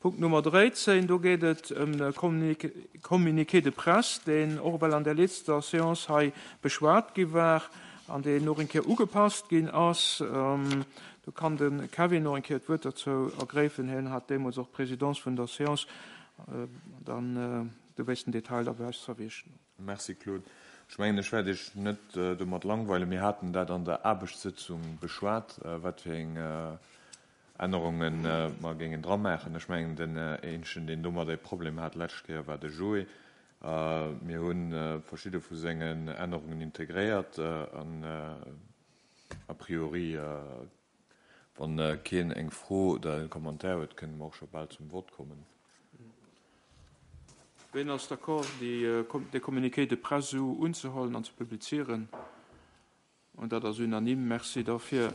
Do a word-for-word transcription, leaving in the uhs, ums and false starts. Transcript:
Punkt Nummer dräizéng, do geet et ëm e Communiqué de presse, deen och well an der letzter Séance hei beschwat gi war an deen och eng Kéier ugepasst ginn ass. Do kann de Kevin och eng Kéier d'Wuert dozou ergräifen. Hien hat deemools och d'Présidence vun der Séance. Dann du wéis den Detail da zerwischen. Merci, Claude. Ech mengen, ech wäert iech net domat langweilen. Mir haten dat an der Aarbechtssëtzung beschwat, wat fir eng Ännerunge mer géingen dra maachen. Ech mengen, den eenzegen, deen domat e Problem hat lescht Kéier, war de Joé. Mir hu verschidde vu sengen Ännerungen integréiert an a priori, wann keen eng Fro oder e Commentaire huet, kënne mer och scho bal zum Vott kommen. Wien ass d'accord, déi de Communiqué de presse esou unzehuelen an ze publizieren? An dat ass unanime. Merci dafir.